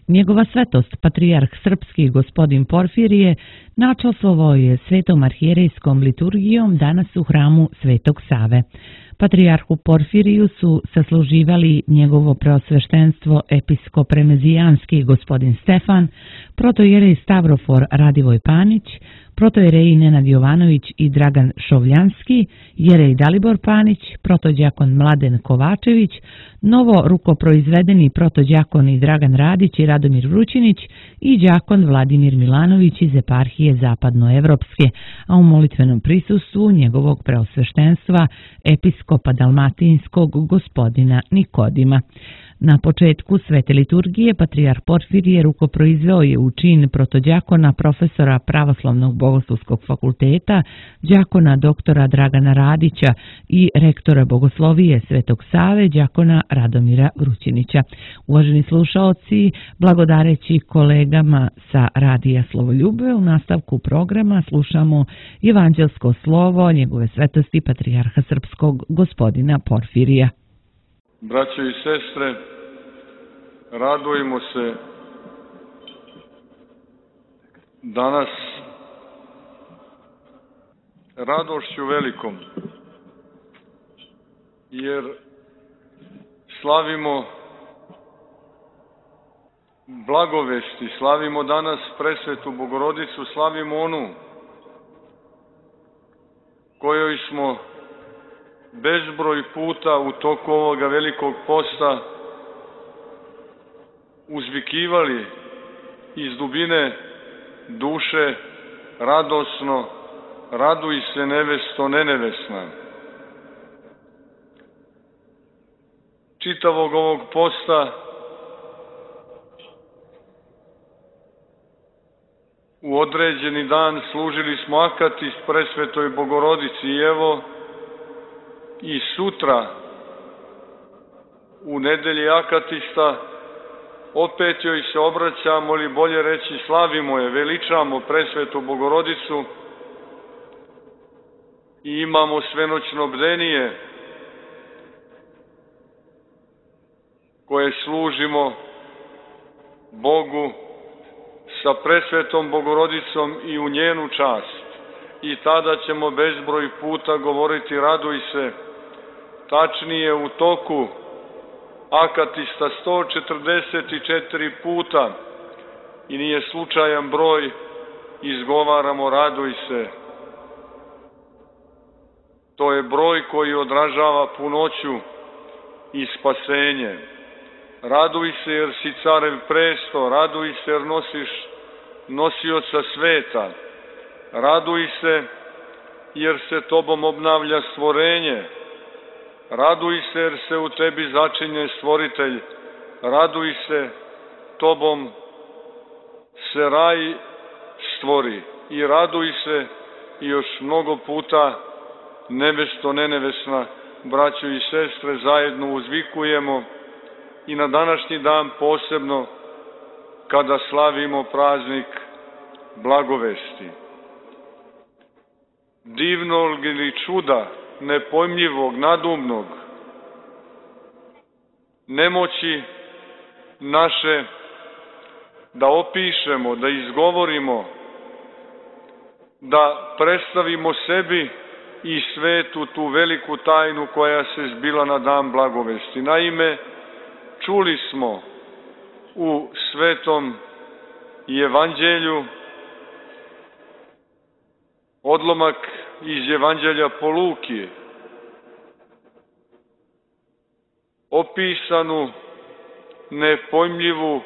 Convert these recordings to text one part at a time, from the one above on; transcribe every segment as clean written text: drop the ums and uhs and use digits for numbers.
Njegova svetost, patrijarh srpski gospodin Porfirije, načastvovao je svetom arhijerejskom liturgijom danas u hramu Svetog Save. Patrijarhu Porfiriju su sasluživali njegovo preosveštenstvo episkop remezijanski gospodin Stefan, protojerej Stavrofor Radivoj Panić, protojereji Nenad Jovanović i Dragan Šovljanski, jerej Dalibor Panić, protođakon Mladen Kovačević, novo rukoproizvedeni protođakoni Dragan Radić i Radomir Vrućinić i đakon Vladimir Milanović iz eparhije Zapadnoevropske, a u molitvenom prisustvu njegovog preosveštenstva episkopa dalmatinskog gospodina Nikodima. Na početku svete liturgije patrijarh Porfirije rukoproizveo je u čin protođakona profesora Pravoslavnog bogoslovskog fakulteta, đakona doktora Dragana Radića i rektora bogoslovije Svetog Save, đakona Radomira Vrućinića. Uvaženi slušaoci, blagodareći kolegama sa Radija Slovoljube, u nastavku programa slušamo evanđelsko slovo njegove svetosti patrijarha srpskog gospodina Porfirija. Braćo i sestre, radujemo se danas radošću velikom, jer slavimo blagovesti, slavimo danas presvetu Bogorodicu, slavimo onu kojoj smo bezbroj puta u toku ovoga velikog posta uzvikivali iz dubine duše radosno: raduj se nevesto nenevesna. Čitavog ovog posta u određeni dan služili smo akatist presvetoj Bogorodici i evo i sutra u nedelji akatista opet joj se obraćamo, ili bolje reći slavimo je, veličamo presvetu Bogorodicu i imamo svenoćno bdenije koje služimo Bogu sa presvetom Bogorodicom i u njenu čast. I tada ćemo bezbroj puta govoriti raduj se, tačnije u toku akatista 144 puta, i nije slučajan broj, izgovaramo raduj se. To je broj koji odražava punoću i spasenje. Raduj se jer si carev presto, raduj se jer nosiš nosioca sveta, raduj se jer se tobom obnavlja stvorenje, raduj se jer se u tebi začinje stvoritelj, raduj se, tobom se raj stvori, i raduj se i još mnogo puta nevesto nenevesna, braćo i sestre, zajedno uzvikujemo i na današnji dan posebno kada slavimo praznik blagovesti. Divnog ili čuda, nepojmljivog, nadumnog, nemoći naše da opišemo, da izgovorimo, da predstavimo sebi i svetu tu veliku tajnu koja se zbila na dan blagovesti. Naime, čuli smo u svetom evanđelju odlomak iz evanđelja po Luki, opisanu nepojmljivu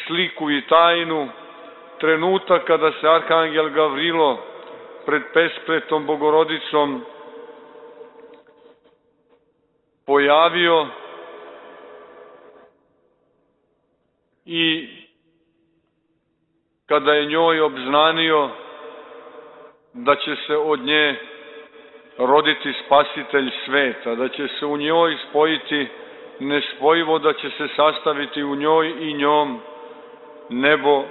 sliku i tajnu, trenutak kada se arhangel Gavrilo pred presvetom Bogorodicom pojavio i kada je njoj obznanio da će se od nje roditi spasitelj sveta, da će se u njoj spojiti nespojivo, da će se sastaviti u njoj i njom nebo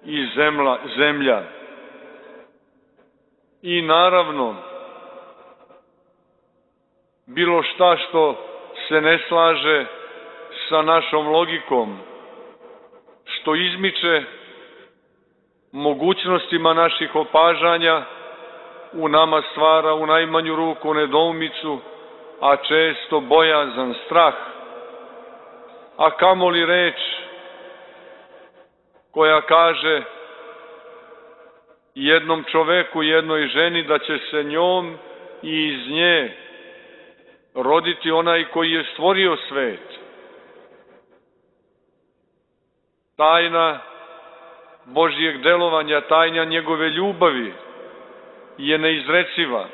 i zemlja. I naravno, bilo šta što se ne slaže sa našom logikom, što izmiče mogućnostima naših opažanja, u nama stvara u najmanju ruku nedoumicu, a često bojazan, strah. A kamoli reč koja kaže jednom čoveku, jednoj ženi da će se njom i iz nje roditi onaj koji je stvorio svet. Tajna Božijeg delovanja, tajna njegove ljubavi je neizreciva.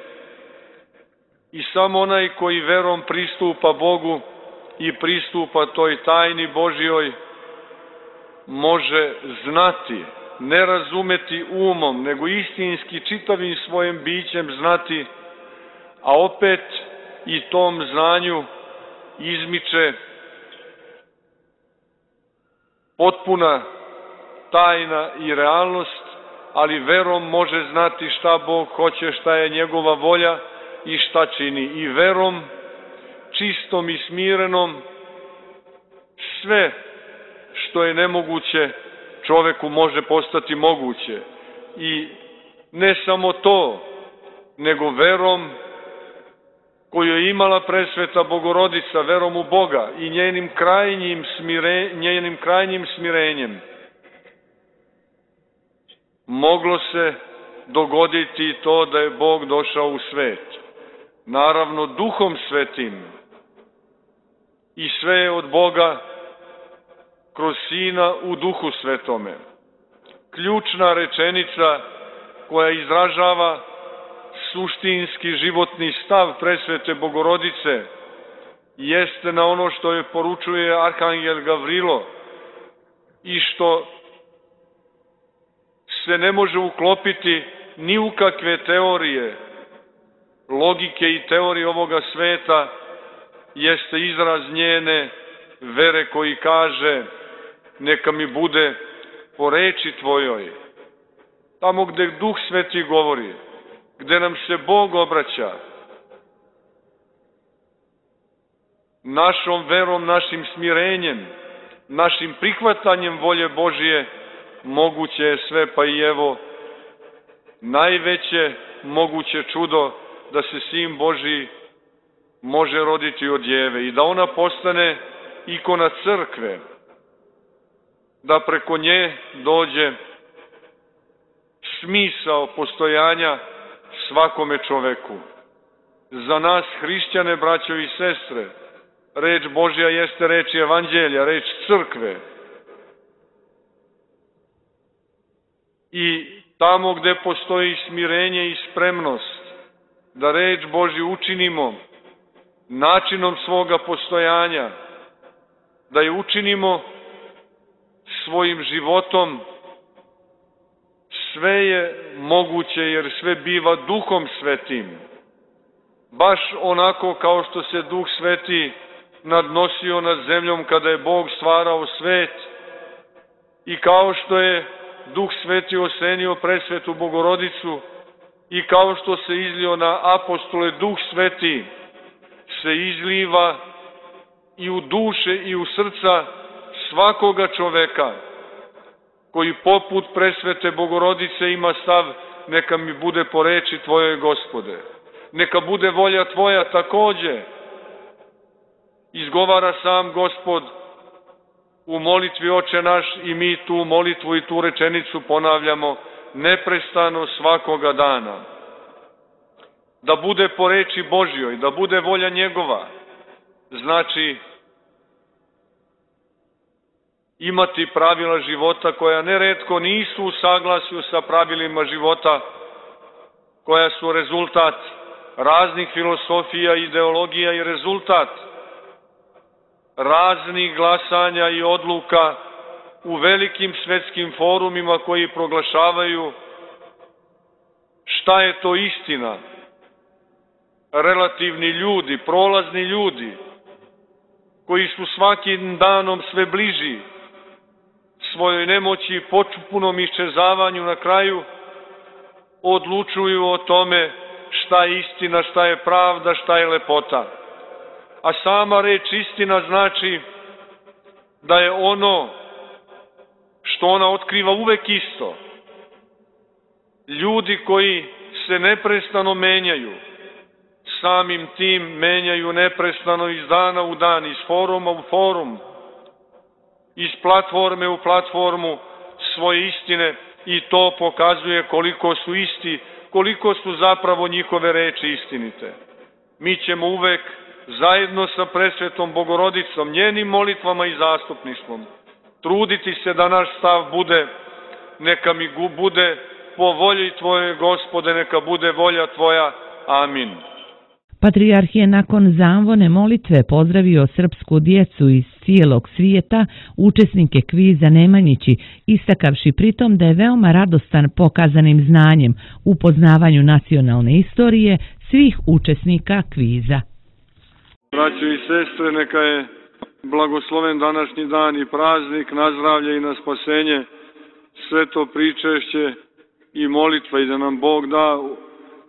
I samo onaj koji verom pristupa Bogu i pristupa toj tajni Božjoj može znati, ne razumeti umom, nego istinski čitavim svojim bićem znati, a opet i tom znanju izmiče potpuna tajna i realnost, ali verom može znati šta Bog hoće, šta je njegova volja i šta čini. I verom, čistom i smirenom, sve što je nemoguće čoveku može postati moguće. I ne samo to, nego verom koju je imala presveta Bogorodica, verom u Boga i njenim krajnjim smirenjem, moglo se dogoditi to da je Bog došao u svet. Naravno, Duhom Svetim. I sve je od Boga kroz Sina u Duhu Svetome. Ključna rečenica koja izražava suštinski životni stav presvete Bogorodice jeste na ono što je poručuje Arhangel Gavrilo i što se ne može uklopiti ni u kakve teorije, logike i teorije ovoga sveta, jeste izraz njene vere koji kaže: neka mi bude po reči Tvojoj. Tamo gde Duh Sveti govori, gde nam se Bog obraća, našom verom, našim smirenjem, našim prihvatanjem volje Božije, moguće je sve, pa i evo najveće moguće čudo da se Sin Božji može roditi od djeve i da ona postane ikona crkve, da preko nje dođe smisao postojanja svakome čoveku. Za nas, hrišćane, braćo i sestre, reč Božja jeste reč evanđelja, reč crkve. I tamo gde postoji smirenje i spremnost da reč Božju učinimo načinom svoga postojanja, da je učinimo svojim životom, sve je moguće jer sve biva Duhom Svetim. Baš onako kao što se Duh Sveti nadnosio nad zemljom kada je Bog stvarao svet i kao što je Duh Sveti osenio presvetu Bogorodicu i kao što se izlio na apostole, Duh Sveti se izliva i u duše i u srca svakoga čoveka koji poput presvete Bogorodice ima stav: neka mi bude po reči Tvojoj, Gospode. Neka bude volja Tvoja takođe. Izgovara sam Gospod u molitvi Oče naš i mi tu molitvu i tu rečenicu ponavljamo neprestano svakoga dana. Da bude po reči Božjoj, da bude volja njegova, znači imati pravila života koja neretko nisu u saglasju sa pravilima života, koja su rezultat raznih filosofija, ideologija i rezultat raznih glasanja i odluka u velikim svetskim forumima koji proglašavaju šta je to istina. Relativni ljudi, prolazni ljudi, koji su svakim danom sve bliži svojoj nemoći i potpunom iščezavanju, na kraju odlučuju o tome šta je istina, šta je pravda, šta je lepota. A sama reč istina znači da je ono što ona otkriva uvek isto. Ljudi koji se neprestano menjaju, samim tim menjaju neprestano iz dana u dan, iz foruma u forum, iz platforme u platformu svoje istine, i to pokazuje koliko su isti, koliko su zapravo njihove reči istinite. Mi ćemo uvek zajedno sa presvetom Bogorodicom, njenim molitvama i zastupništvom, truditi se da naš stav bude, neka mi bude po volji Tvoje, Gospode, neka bude volja Tvoja. Amin. Patrijarh je nakon zamvone molitve pozdravio srpsku djecu iz cijelog svijeta, učesnike kviza Nemanjići, istakavši pritom da je veoma radostan pokazanim znanjem u poznavanju nacionalne istorije svih učesnika kviza. Braćo i sestre, neka je blagosloven današnji dan i praznik na zdravlje i na spasenje, sve to pričešće i molitva, i da nam Bog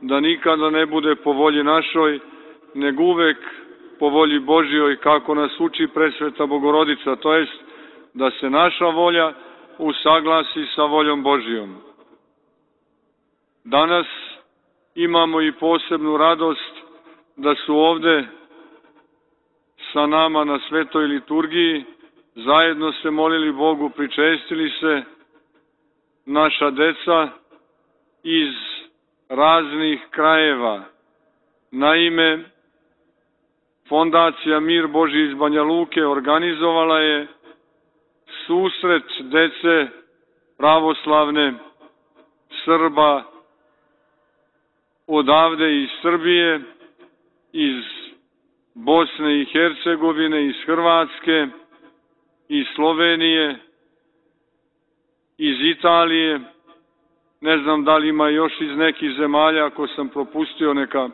da nikada ne bude po volji našoj, nego uvek po volji Božjoj, kako nas uči presveta Bogorodica, to jest da se naša volja usaglasi sa voljom Božjom. Danas imamo i posebnu radost da su ovde sa nama na svetoj liturgiji, zajedno se molili Bogu, pričestili se naša deca iz raznih krajeva. Naime, Fondacija Mir Božji iz Banja Luke organizovala je susret dece pravoslavne Srba odavde iz Srbije, iz Bosne i Hercegovine, iz Hrvatske, iz Slovenije, iz Italije, ne znam da li ima još iz nekih zemalja, ako sam propustio neka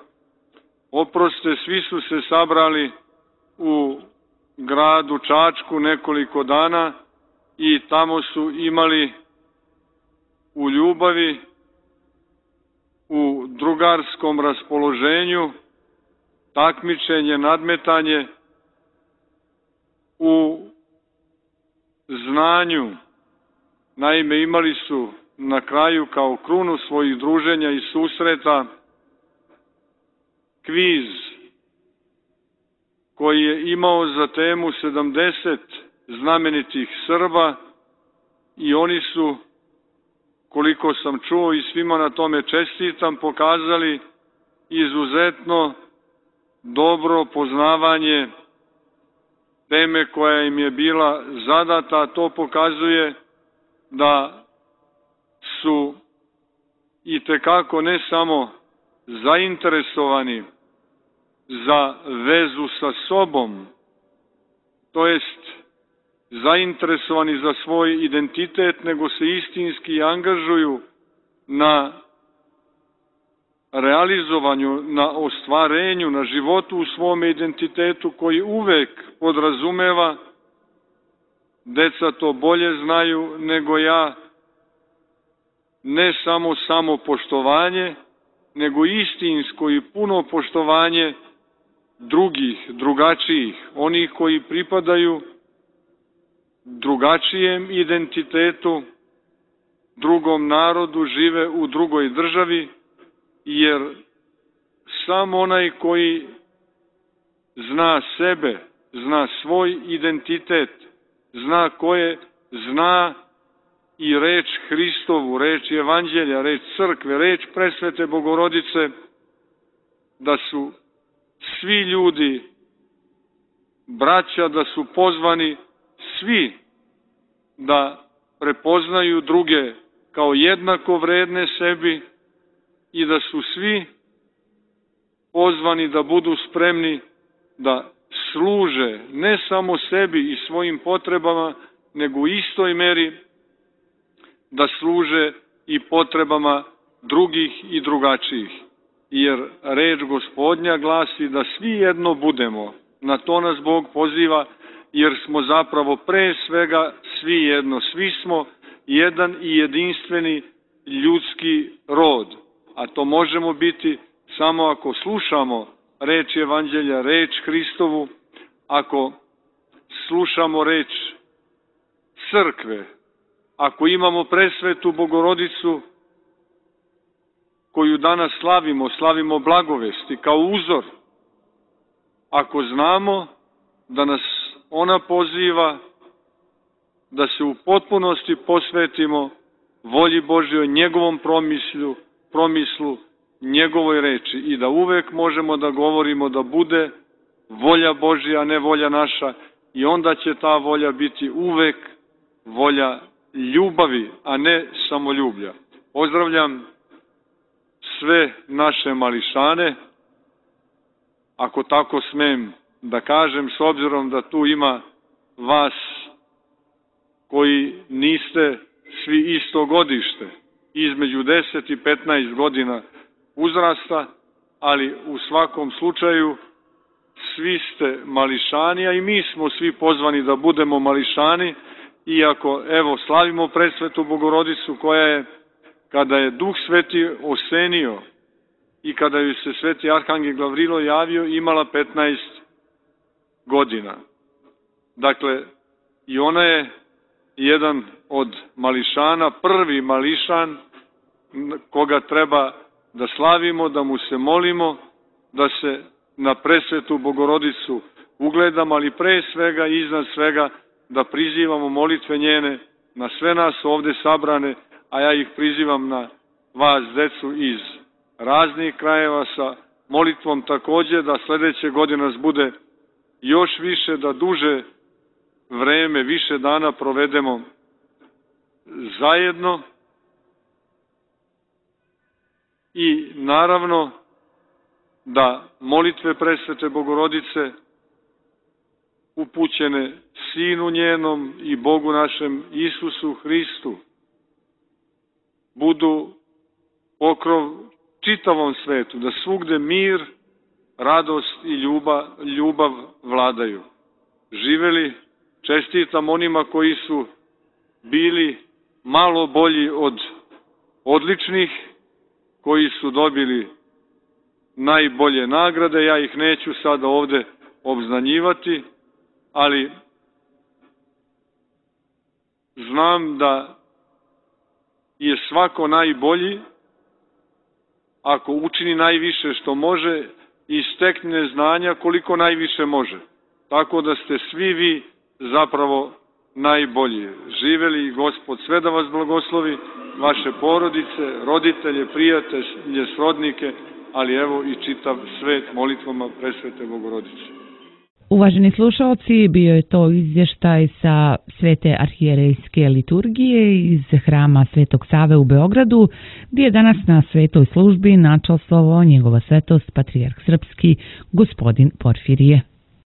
oproste. Svi su se sabrali u gradu Čačku nekoliko dana i tamo su imali u ljubavi, u drugarskom raspoloženju, takmičenje, nadmetanje, u znanju. Naime, imali su na kraju kao krunu svojih druženja i susreta kviz koji je imao za temu 70 znamenitih Srba, i oni su, koliko sam čuo i svima na tome čestitam, pokazali izuzetno dobro poznavanje teme koja im je bila zadata. To pokazuje da su itekako ne samo zainteresovani za vezu sa sobom, to jest zainteresovani za svoj identitet, nego se istinski angažuju na realizovanju, na ostvarenju, na životu u svome identitetu, koji uvek podrazumeva, deca to bolje znaju nego ja, ne samo samopoštovanje, nego istinsko i puno poštovanje drugih, drugačijih, onih koji pripadaju drugačijem identitetu, drugom narodu, žive u drugoj državi, jer samo onaj koji zna sebe, zna svoj identitet, zna koje, zna i reč Hristovu, reč Evanđelja, reč crkve, reč presvete Bogorodice, da su svi ljudi braća, da su pozvani svi da prepoznaju druge kao jednako vredne sebi i da su svi pozvani da budu spremni da služe ne samo sebi i svojim potrebama, nego u istoj meri da služe i potrebama drugih i drugačijih. Jer reč Gospodnja glasi da svi jedno budemo. Na to nas Bog poziva, jer smo zapravo pre svega svi jedno. Svi smo jedan i jedinstveni ljudski rod. A to možemo biti samo ako slušamo reč Evanđelja, reč Hristovu, ako slušamo reč crkve, ako imamo presvetu Bogorodicu koju danas slavimo blagovesti kao uzor, ako znamo da nas ona poziva da se u potpunosti posvetimo volji Božjoj, njegovom promislu, njegovoj reči i da uvek možemo da govorimo da bude volja Božja, a ne volja naša, i onda će ta volja biti uvek volja ljubavi, a ne samoljublja. Pozdravljam sve naše mališane, ako tako smem da kažem, s obzirom da tu ima vas koji niste svi isto godište, između 10 i 15 godina uzrasta, ali u svakom slučaju svi ste mališani, a i mi smo svi pozvani da budemo mališani, iako, evo, slavimo presvetu Bogorodicu koja je, kada je Duh Sveti osenio i kada joj se sveti Arhangel Gavrilo javio, imala 15 godina. Dakle, i ona je jedan od mališana, prvi mališan koga treba da slavimo, da mu se molimo, da se na presvetu Bogorodicu ugledamo, ali pre svega i iznad svega da prizivamo molitve njene na sve nas ovde sabrane, a ja ih prizivam na vas, decu iz raznih krajeva, sa molitvom takođe da sledeće godine nas bude još više, da duže vreme, više dana provedemo zajedno i naravno da molitve presvete Bogorodice upućene Sinu njenom i Bogu našem Isusu Hristu budu pokrov čitavom svetu, da svugde mir, radost i ljubav vladaju. Živeli, čestitam onima koji su bili malo bolji od odličnih, koji su dobili najbolje nagrade, ja ih neću sada ovde obznanjivati, ali znam da je svako najbolji ako učini najviše što može i stekne znanja koliko najviše može. Tako da ste svi vi zapravo najbolji. Živeli Gospod sve da vas blagoslovi, vaše porodice, roditelje, prijatelje, srodnike, ali evo i čitav svet molitvama presvete Bogorodice. Uvaženi slušalci, bio je to izvještaj sa Svete arhijerejske liturgije iz hrama Svetog Save u Beogradu, gdje je danas na svetoj službi načastvovao njegova svetost patrijarh srpski gospodin Porfirije.